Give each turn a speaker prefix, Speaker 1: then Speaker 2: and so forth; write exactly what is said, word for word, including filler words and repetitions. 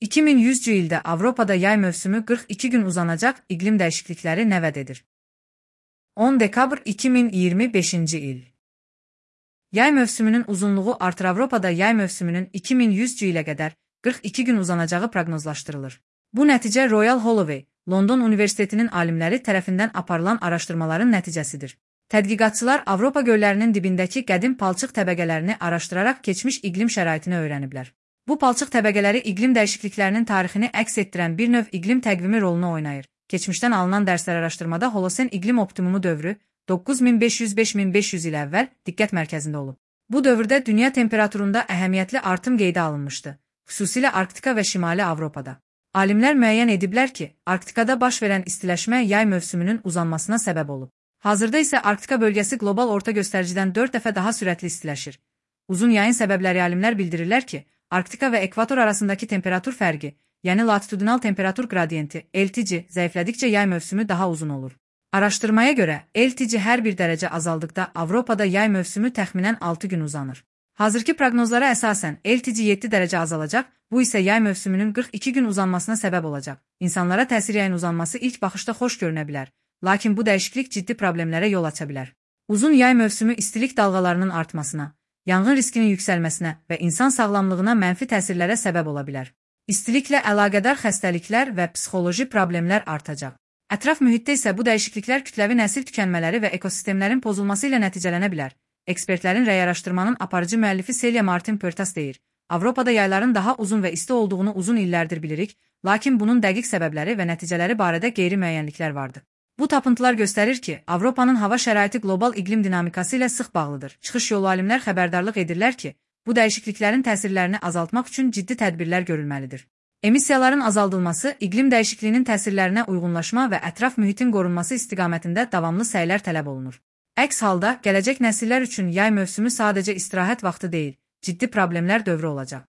Speaker 1: iki min yüzcü ildə Avropada yay mövsümü qırx iki gün uzanacaq, iqlim dəyişiklikləri nə vəd edir? on dekabr iki min iyirmi beşinci il. Yay mövsümünün uzunluğu artır. Avropada yay mövsümünün iki min yüzcü ilə qədər qırx iki gün uzanacağı proqnozlaşdırılır. Bu nəticə Royal Holloway, London Universitetinin alimləri tərəfindən aparılan araşdırmaların nəticəsidir. Tədqiqatçılar Avropa göllərinin dibindəki qədim palçıq təbəqələrini araşdıraraq keçmiş iqlim şəraitini öyrəniblər. Bu palçıq təbəqələri iqlim dəyişikliklərinin tarixini əks etdirən bir növ iqlim təqvimi rolunu oynayır. Keçmişdən alınan dərslər araşdırmada Holosen iqlim optimumu dövrü doqquz min beş yüz - beş min beş yüz il əvvəl diqqət mərkəzində olub. Bu dövrdə dünya temperaturunda əhəmiyyətli artım qeydə alınmışdı, xüsusilə Arktika və Şimali Avropada. Alimlər müəyyən ediblər ki, Arktikada baş verən istiləşmə yay mövsümünün uzanmasına səbəb olub. Hazırda isə Arktika bölgəsi qlobal orta göstəricidən dörd dəfə daha sürətli istiləşir. Uzun yayın səbəbləri alimlər bildirirlər ki, Arktika və ekvator arasındakı temperatur fərqi, yəni latitudinal temperatur qradiyenti, L T G, zəiflədikcə yay mövsümü daha uzun olur. Araşdırmaya görə, L T G hər bir dərəcə azaldıqda Avropada yay mövsümü təxminən altı gün uzanır. Hazırki proqnozlara əsasən L T G yeddi dərəcə azalacaq, bu isə yay mövsümünün qırx iki gün uzanmasına səbəb olacaq. İnsanlara təsir yayın uzanması ilk baxışda xoş görünə bilər, lakin bu dəyişiklik ciddi problemlərə yol aça bilər. Uzun yay mövsümü istilik dalğalarının artmasına, yanğın riskinin yüksəlməsinə və insan sağlamlığına mənfi təsirlərə səbəb ola bilər. İstiliklə əlaqədar xəstəliklər və psixoloji problemlər artacaq. Ətraf mühitdə isə bu dəyişikliklər kütləvi nəsil tükənmələri və ekosistemlərin pozulması ilə nəticələnə bilər. Ekspertlərin rəy araşdırmanın aparıcı müəllifi Celia Martin Pörtas deyir, Avropada yayların daha uzun və isti olduğunu uzun illərdir bilirik, lakin bunun dəqiq səbəbləri və nəticələri barədə qeyri-müəyyənliklər vardı. Bu tapıntılar göstərir ki, Avropanın hava şəraiti qlobal iqlim dinamikası ilə sıx bağlıdır. Çıxış yolu alimlər xəbərdarlıq edirlər ki, bu dəyişikliklərin təsirlərini azaltmaq üçün ciddi tədbirlər görülməlidir. Emissiyaların azaldılması, iqlim dəyişikliyinin təsirlərinə uyğunlaşma və ətraf mühitin qorunması istiqamətində davamlı səylər tələb olunur. Əks halda, gələcək nəsillər üçün yay mövsümü sadəcə istirahət vaxtı deyil, ciddi problemlər dövrü olacaq.